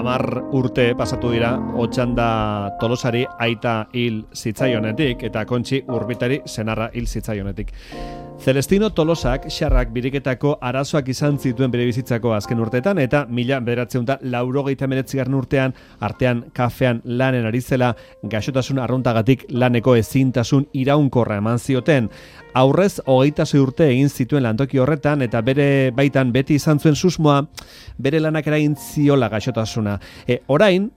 10 urte pasatu dira Otxanda Tolosari aita hil zitzaionetik eta Kontxi Urbitari senarra hil zitzaionetik. Celestino Tolosak xarrak biriketako arazoak izan zituen bere bizitzako azken urteetan eta 1989 urtean artean kafean lanen ari zela gaixotasun arruntagatik laneko ezintasun iraunkorra eman zioten. Aurrez 26 urte egin zituen lantoki horretan eta bere baitan beti izan zuen susmoa bere lanak eragin ziola gaixotasuna. Orain,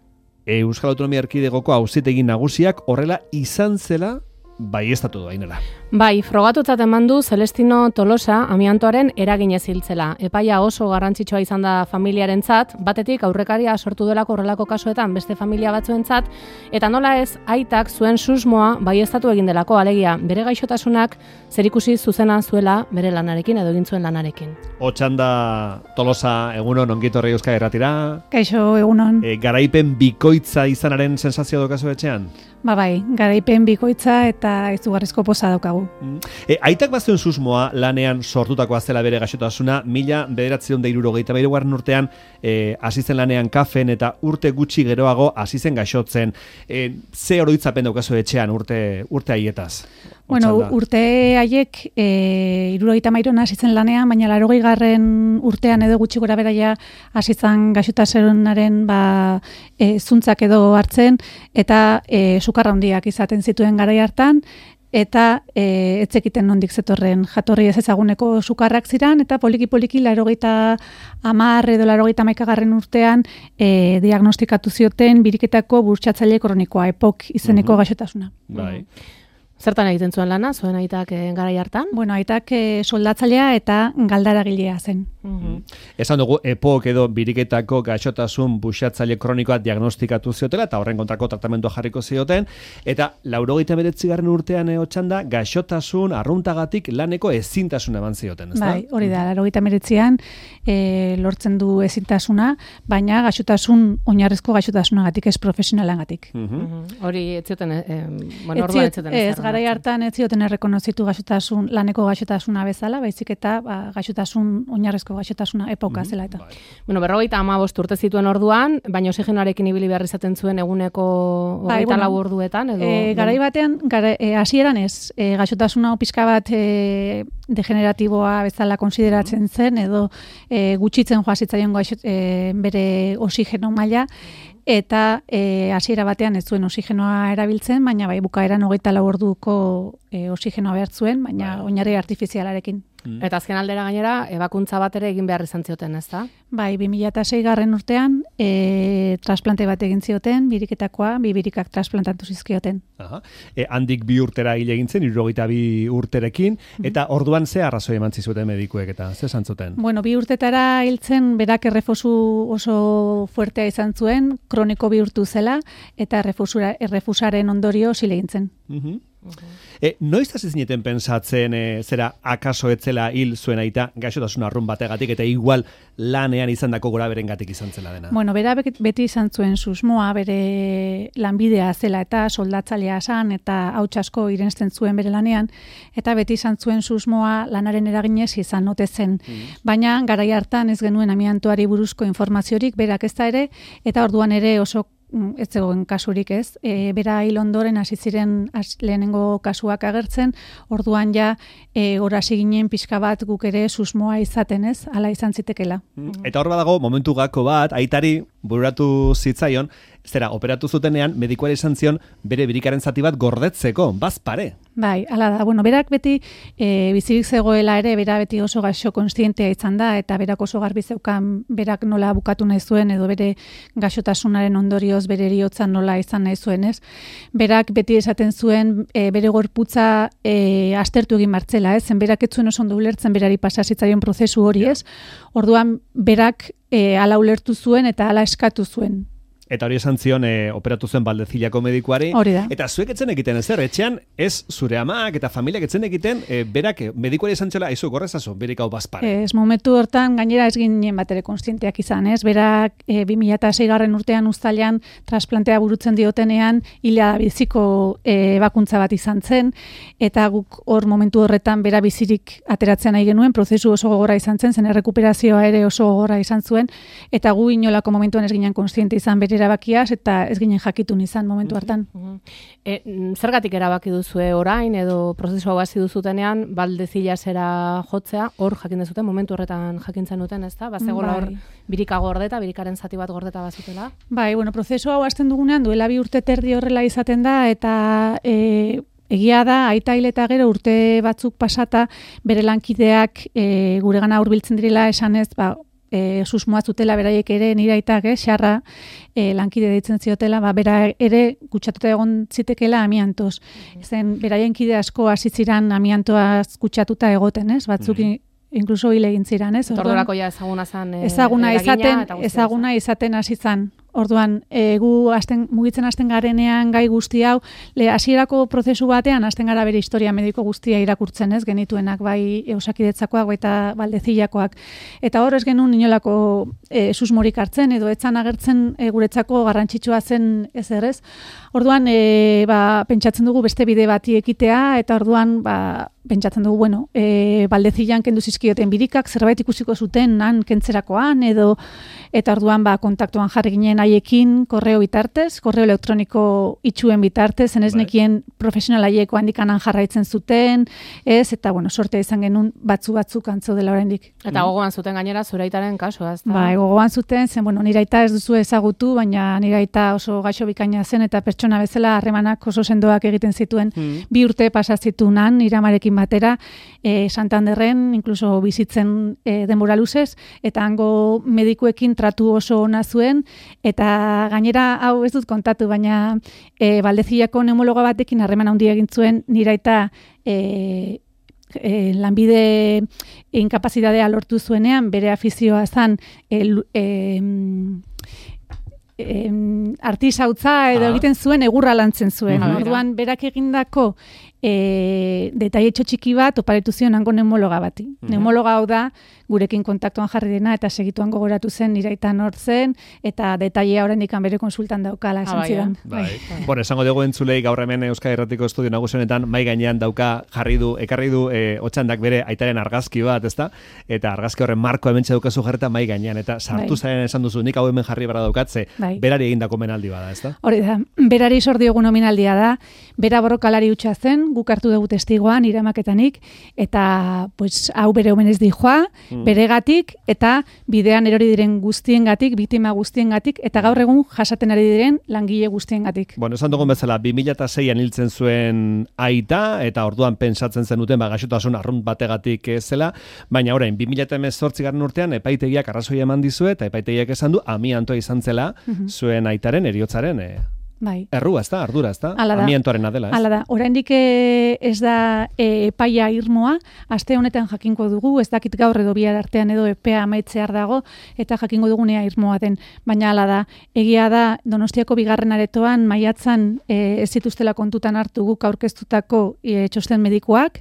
Euskal Autonomia Erkidegoko auzitegi nagusiak horrela izan zela baieztatu du Ainara. Bai, frogatutzat eman du Celestino Tolosa amiantoaren eraginez hiltzela. Epaia oso garrantzitsua izan da familiarentzat, batetik aurrekaria sortu delako horrelako kasuetan beste familia batzuentzat, eta nola ez aitak zuen susmoa baieztatu egin delako, alegia bere gaixotasunak zerikusi zuzena zuela bere lanarekin edo egin zuen lanarekin. Otxanda Tolosa, egunon, ongitorri Euskal Irratira. Kaixo, egunon. Garaipen bikoitza izanaren sensazio daukazu etxean? Bai, garaipen bikoitza eta izugarrizko poza daukagu. Aitak bazuen susmoa lanean sortutakoa zela bere gaixotasuna, 1973 urtean hasi zen lanean kafen eta urte gutxi geroago hasi zen gaixotzen. Ze oroitzapen daukazu etxean urte haietaz? Bueno, urte haiek 73 hasi zen lanean, baina 80. urtean edo gutxi gora beraia hasi zen gaixotasunaren zuntzak edo hartzen eta sukarra handiak izaten zituen garai hartan, eta etzekiten nondik zetorren jatorri ez ezaguneko sukarrak ziran, eta poliki-poliki 80 edo 91 urtean diagnostikatu zioten biriketako burtsatzaile kronikoa, EPOK izeneko gaixotasuna. Bai. Zertan egiten zuen lana, zuen aitak garai hartan? Bueno, aitak soldatzailea eta galdaragilea zen. Esan dugu, EPOK edo biriketako gaixotasun buxatzaile kronikoa diagnostikatu ziotela eta horren kontrako tratamentua jarriko zioten, eta 89. urtean Otxanda gaixotasun arruntagatik laneko ezintasuna eman zioten, ezta? Bai, hori da, 89an lortzen du ezintasuna, baina gaixotasun oinarrizko gaixotasunagatik, ez profesionalangatik. Hori ez zioten, orduan ez zioten ez. Garai hartan ez zioten errekonozitu laneko gaixotasuna bezala, baizik eta gaixotasun oinarrizko gaixotasuna epoka zela eta. Bueno, 55 urte zituen orduan, baina oxigenoarekin ibili behar izaten zuen eguneko 24 orduetan edo garai batean hasieran ez, gaixotasuna pixka bat degeneratiboa bezala konsideratzen zen edo gutxitzen joa zitzaion bere oxigeno maila, eta hasiera batean ez zuen oxigenoa erabiltzen, baina bai bukaeran 24 orduko oxigenoa behar zuen, baina oinarri artifizialarekin. Eta azken aldera gainera, ebakuntza bat ere egin behar izan zioten, ezta? Bai, 2006 urtean trasplante bat egin zioten, biriketakoa, 2 birikak trasplantatu zizkioten. Handik 2 urtera hil egin zen, 72 urterekin, eta orduan ze arrazoi eman zizuten medikuek eta ze esan zuten? Bueno, 2 urtetara hiltzen berak errefosu oso fuertea izan zuen, kroniko bihurtu zela, eta errefusaren ondorio hil egin zen. Noiz hasi zineten pentsatzen zera akaso etzela hil zuen aita gaixotasun arrun bategatik eta igual lanean izandako goraberengatik izan zela dena? Bueno, bera beti izan zuen susmoa, bere lanbidea zela eta soldatzailea zen eta hauts asko irensten zuen bere lanean, eta beti izan zuen susmoa lanaren eraginez izan ote zen. Baina garai hartan ez genuen amiantoari buruzko informaziorik, berak ez da ere, eta orduan ere oso ez zegoen kasurik ez. Bera hil ondoren hasi ziren lehenengo kasuak agertzen, orduan ja hasi ginen pixka bat guk ere susmoa izaten ez, hala izan zitekela. Eta hor badago, momentu gako bat, aitari bururatu zitzaion, zera, operatu zutenean, medikuari esan zion bere birikaren zati bat gordetzeko, bazpare. Bai, hala da. Bueno, berak beti bizirik zegoela ere, bera beti oso gaixo konstientea izan da, eta berak oso garbi zeukan berak nola bukatu nahi zuen, edo bere gaixotasunaren ondorioz bere heriotzan nola izan nahi zuen, ez? Berak beti esaten zuen bere gorputza aztertu egin martzela, ez? Berak ez zuen oso ondo ulertzen berari pasasitzaion prozesu hori, ez? Orduan, berak hala ulertu zuen eta hala eskatu zuen. Eta hori esan zion operatu zen Valdezillako medikuari. Hori da. Eta zuek etzen egiten ezer, etxean ez zure amak eta familiak etzen egiten berak medikuari esan txela, aizu gorrezazo, berik hau bazpare. Ez momentu hortan gainera ez ginen batere konstienteak izan, ez? Berak 2006 urtean uztailean trasplantea burutzen diotenean hilea biziko bakuntza bat izan zen, eta guk hor momentu horretan bera bizirik ateratzen nahi genuen, prozesu oso gogorra izan zen errekuperazioa ere oso gogorra izan zuen, eta gu inolako momentuan ez ginen konstiente izan bere erabakiaz, eta ez ginen jakitun izan momentu hartan. Zergatik erabaki duzue orain, edo prozesu hau hasi duzutenean, Valdezillasera jotzea, hor jakin dezuten, momentu horretan jakintzen duten, ezta? Bazegola hor birika gordeta, birikaren zati bat gordeta bazutela? Bai, prozesu hau hasten dugunean, duela 2 urte terdi horrela izaten da, eta egia da, aita hil eta gero urte batzuk pasata, bere lankideak guregana hurbiltzen direla esanez, susmoa zutela beraiek ere nire aitak, xarra lankide deitzen ziotela, bera ere kutsatuta egon zitekela amiantoz. Zen, beraien kide asko hasitziran amiantoaz kutsatuta egoten, batzuk inkluso hil egin ziran, Ordurako ja ezaguna zan ezaguna izaten hasi zan. Orduan, gu mugitzen hasten garenean gai guzti hau, hasierako prozesu batean hasten gara bere historia mediko guztia irakurtzen, genituenak, bai Osakidetzakoak, baita Valdezillakoak. Eta hor ez genuen inolako susmorik hartzen, edo etzan agertzen guretzako garrantzitsua zen ez. Orduan, pentsatzen dugu beste bide bati ekitea, eta orduan, pentsatzen dugu, Valdezillan kendu zizkioten birikak, zerbait ikusiko zuten nan kentzerakoan, eta orduan kontaktuan jarri ginen haiekin korreo bitartez, korreo elektroniko itxuen bitartez, zenez nekien profesional haieko handikanan jarraitzen zuten, eta sortea izan genuen batzuk antzo dela oraindik. Eta gogoan zuten gainera zure aitaren kasua, ezta? Bai, gogoan zuten, zen, nire aita ez duzu ezagutu, baina nire aita oso gaixo bikaina zen, eta pertsona bezala harremanak oso sendoak egiten zituen, 2 urte pasazitunan, nire amarekin batera, Santanderren, inkluso bizitzen denbora luzez, eta hango medikuekin tratu oso ona zuen, eta gainera hau ez dut kontatu, baina Valdezillako neumologa batekin harreman handia egin zuen nire aita lanbide inkapazitatea lortu zuenean, bere afizioa zan artisautza edo egiten zuen egurra lantzen zuen. Orduan berak egindako detailetxo txiki bat oparetu zion hango neumologa bati. Neumologa hau da gurekin kontaktuan jarri dena eta segituan gogoratu zen niraitan hor zen eta detailea oraindik bere konsultan daukala esan zidan. Bueno, esango dugu entzulei gaur hemen Euskadi Irratiko Estudio Nagusi honetan mai gainean ekarri du Otxandak bere aitaren argazki bat, ezta? Eta argazki horren marko hementxe daukazu jarreta mai gainean eta sartu zaren esan duzu nik hau hemen jarri bara daukatze. Berari egindako omenaldi bada, ezta? Hori da. Berari sor diogun omenaldia da. Bera borrokalari hutsa zen, guk hartu dugu testigoan iramaketanik eta hau bere omenez dijoa, beregatik eta bidean erori diren guztiengatik, biktima guztiengatik eta gaur egun jasaten ari diren langile guztiengatik. Bueno, esan dugun bezala 2006an hiltzen zuen aita eta orduan pentsatzen zenuten gaixotasun arrunt bategatik zela, baina orain 2018 urtean epaitegiak arrazoia eman dizue eta epaitegiak esan du amiantoa izan zela zuen aitaren heriotzaren errua, ezta, ardura, ezta? Amiantoarena dela, ez? Hala da, oraindik ez da epaia irmoa, aste honetan jakingo dugu, ez dakit gaur edo bihar artean edo epea amaitzear dago, eta jakingo dugunea irmoa den. Baina hala da, egia da, Donostiako 2. aretoan maiatzan ez zituztela kontutan hartu guk aurkeztutako txosten medikuak,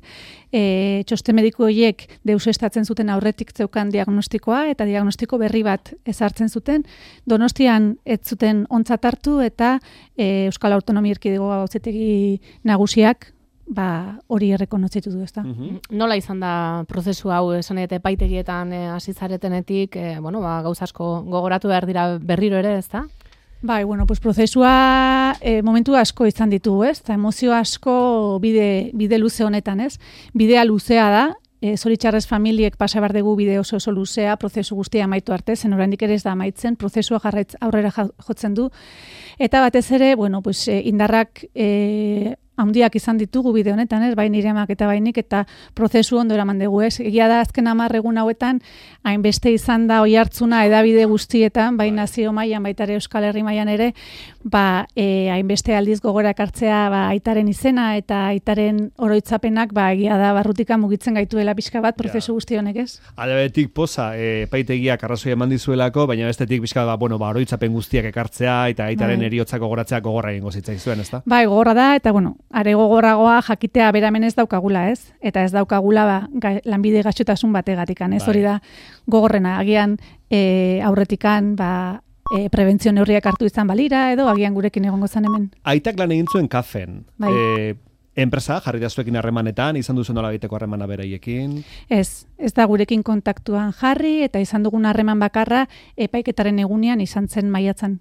txosten mediku horiek deusestatzen zuten aurretik zeukan diagnostikoa eta diagnostiko berri bat ezartzen zuten. Donostian ez zuten ontzat hartu eta Euskal Autonomia Erkidegoa Auzitegi Nagusiak hori errekonotzitu du, ezta. Nola izan da prozesu hau, esan eta epaitegietan hasi zaretenetik, gauza asko gogoratu behar dira berriro ere, ezta? Bai, prozesua momentu asko izan ditugu, ez? Eta emozio asko bide luze honetan, ez? Bidea luzea da, zoritxarrez familiek pasa behar dugu bide oso luzea, prozesu guztia amaitu arte, zen oraindik ere ez da amaitzen, prozesua aurrera jotzen du. Eta batez ere, indarrak handiak izan ditugu bide honetan, ez? Bai nire amak eta bainik, eta prozesu ondo eraman dugu, ez? Egia da azken 10 egun hauetan, hainbeste izan da oihartzuna edabide guztietan, bai nazio mailan, baita ere Euskal Herri mailan ere, hainbeste aldiz gogora ekartzea aitaren izena eta aitaren oroitzapenak, egia da barrutika mugitzen gaituela pixka bat prozesu guzti honek, ez? Aldebetik poza, epaitegiak arrazoi eman dizuelako, baina bestetik pixka bat, oroitzapen guztiak ekartzea eta aitaren eriotzak gogoratzea gogorra egingo zitzaizuen, ezta? Bai, gogorra da, eta are gogorragoa jakitea beramen ez daukagula, ez? Eta ez daukagula lanbide gaixotasun bategatikan, ez? Hori da gogorrena, agian aurretikan prebentzio neurriak hartu izan balira, edo agian gurekin egongo zan hemen. Aitak lan egin zuen kafen. Enpresa, jarri da zuekin harremanetan, izan duzu nola egiteko harremana beraiekin? Ez da gurekin kontaktuan jarri, eta izan dugun harreman bakarra epaiketaren egunean izan zen maiatzan.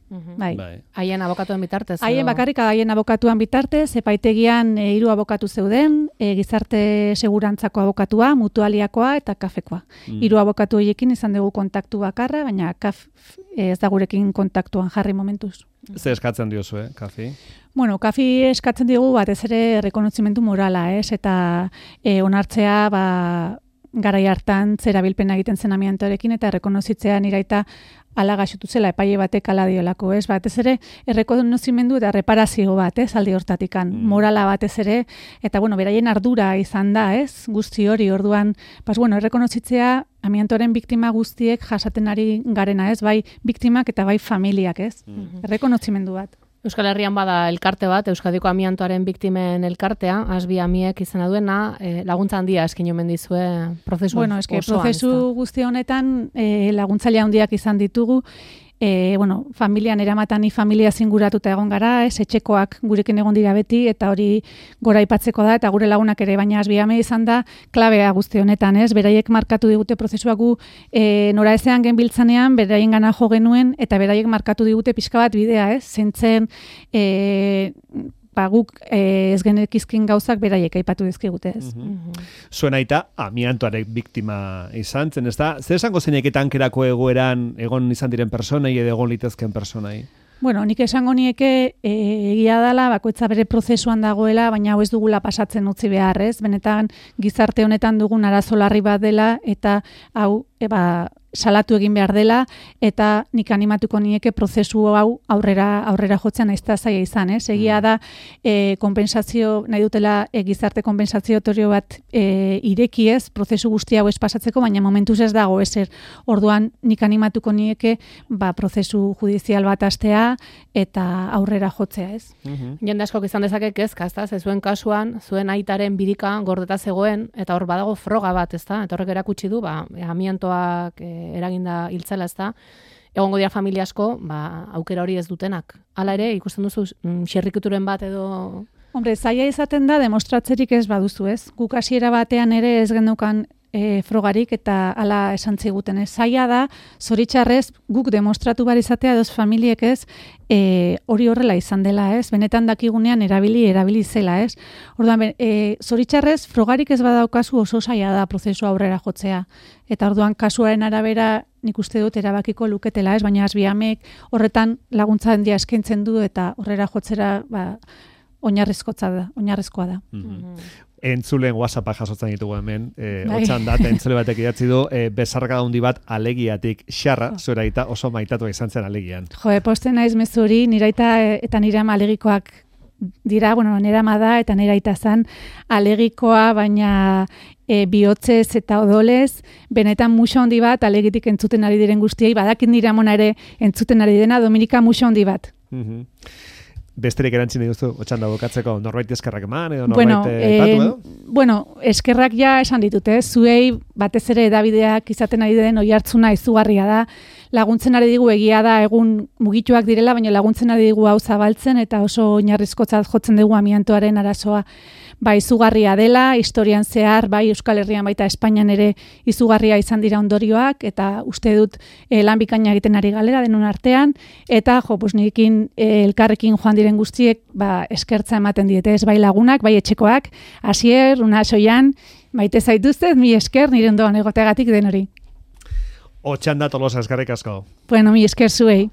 Bai. Haien abokatuen bitartez? Haien abokatuan bitartez, epaitegian 3 abokatu zeuden, gizarte segurantzako abokatua, mutualiakoa eta kafekoa. 3 abokatu horiekin izan dugu kontaktu bakarra, baina ez da gurekin kontaktuan jarri momentuz. Ze eskatzen diozu, kafi? Kafi eskatzen digu batez ere rekonozimendu morala, eta onartzea garai hartan zerabilpena egiten zen amiantoarekin eta rekonozitzea niraita ala gaixotu zela epaile batek ala diolako, ez? Batez ere errekonozimendu eta reparazio bat, ez? Alde hortatikan, morala batez ere, eta beraien ardura izan da, ez? Guzti hori, orduan, errekonozitzea amiantoaren biktima guztiek jasaten ari garena, ez? Bai biktimak eta bai familiak, ez? Errekonozimendu bat. Euskal Herrian bada elkarte bat, Euskadiko amiantoaren biktimen elkartea, Asbi Amiek izena duena, laguntza handia eskin omen dizue prozesu osoan. Prozesu guzti honetan laguntzaile handiak izan ditugu, familian eramatan familia zinguratuta egon gara, etxekoak gurekin egon dira beti, eta hori gora aipatzeko da, eta gure lagunak ere, baina Asbi Ame izan da klabea guzti honetan, ez? Beraiek markatu digute prozesua gu nora ezean genbiltzanean, beraien gana jo genuen, eta beraiek markatu digute pixka bat bidea, ez? Zentzen guk ez genekizkin gauzak beraiek aipatu dizkigute, ez. Zuen aita amiantoarek biktima izan zen, ez da? Zer esango zeinek tankerako egoeran egon izan diren personai edo egon litezken personai? Nik esango nieke egia dela, bakoitza bere prozesuan dagoela, baina hau ez dugula pasatzen utzi behar, ez? Benetan gizarte honetan dugun arazo larri bat dela, eta hau salatu egin behar dela, eta nik animatuko nieke prozesu hau aurrera jotzen nahiz zaila izan, ez? Egia da, nahi dutela gizarte konpensatziotorio bat ireki, ez? Prozesu guzti hau ez pasatzeko, baina momentuz ez dago ezer. Orduan nik animatuko nieke prozesu judizial bat hastea eta aurrera jotzea, ez? Jende askok izan dezakek ez, kastaz, ez zuen kasuan, zuen aitaren birika gordeta zegoen, eta hor badago froga bat, ez da? Eta horrek erakutsi du, amiantoak eraginda hiltzela, ez da? Egongo dira familia asko, aukera hori ez dutenak. Hala ere, ikusten duzu xerrikuturen bat edo... Zaila izaten da, demostratzerik ez baduzu, ez? Guk hasiera batean ere ez gendukan frogarik eta hala esan ziguten, ez? Zaila da, zoritxarrez, guk demostratu bar izatea edoz familiek ez, hori horrela izan dela, ez? Benetan dakigunean erabili zela, ez? Orduan, zoritxarrez, frogarik ez badaukazu oso zaila da prozesu aurrera jotzea. Eta orduan, kasuaren arabera nik uste dut erabakiko luketela, ez? Baina Asbi Amek horretan laguntza handia eskaintzen du eta horrera jotzera oinarrizkoa da. Entzulen WhatsAppa jasotzen ditugu hemen, otxan dat, entzule batek idatzi du, bezarka handi bat alegiatik, xarra, zure aita oso maitatua izan zen alegian. Posten naiz mezuri, nire aita eta nire ama alegikoak dira, nire ama da, eta nire aita zan alegikoa, baina bihotzez eta odolez, benetan muso handi bat, alegitik entzuten ari diren guztiei, badakit nire amona ere entzuten ari dena, Dominika muso handi bat. Besterik erantzin dituzu, otxanda bokatzeko, norbait eskerrak eman, edo norbait aipatu edo? Eskerrak ja esan ditute, zuei batez ere edabideak izaten ari den oihartzuna izugarria da, laguntzen ari digu egia da egun mugituak direla, baina laguntzen ari digu hau zabaltzen, eta oso oinarrizkotzat jotzen dugu amiantoaren arazoa izugarria dela, historian zehar, Euskal Herrian baita Espainian ere izugarria izan dira ondorioak, eta uste dut lan bikaina egiten ari galera denon artean, eta nirekin elkarrekin joan diren guztiek eskertza ematen diete, ez bai lagunak, bai etxekoak, Asier, Una Soian, maite zaituztet, mi esker nire ondoan egoteagatik den hori. Otxanda Tolosa, eskerrik asko. Mi esker zuei.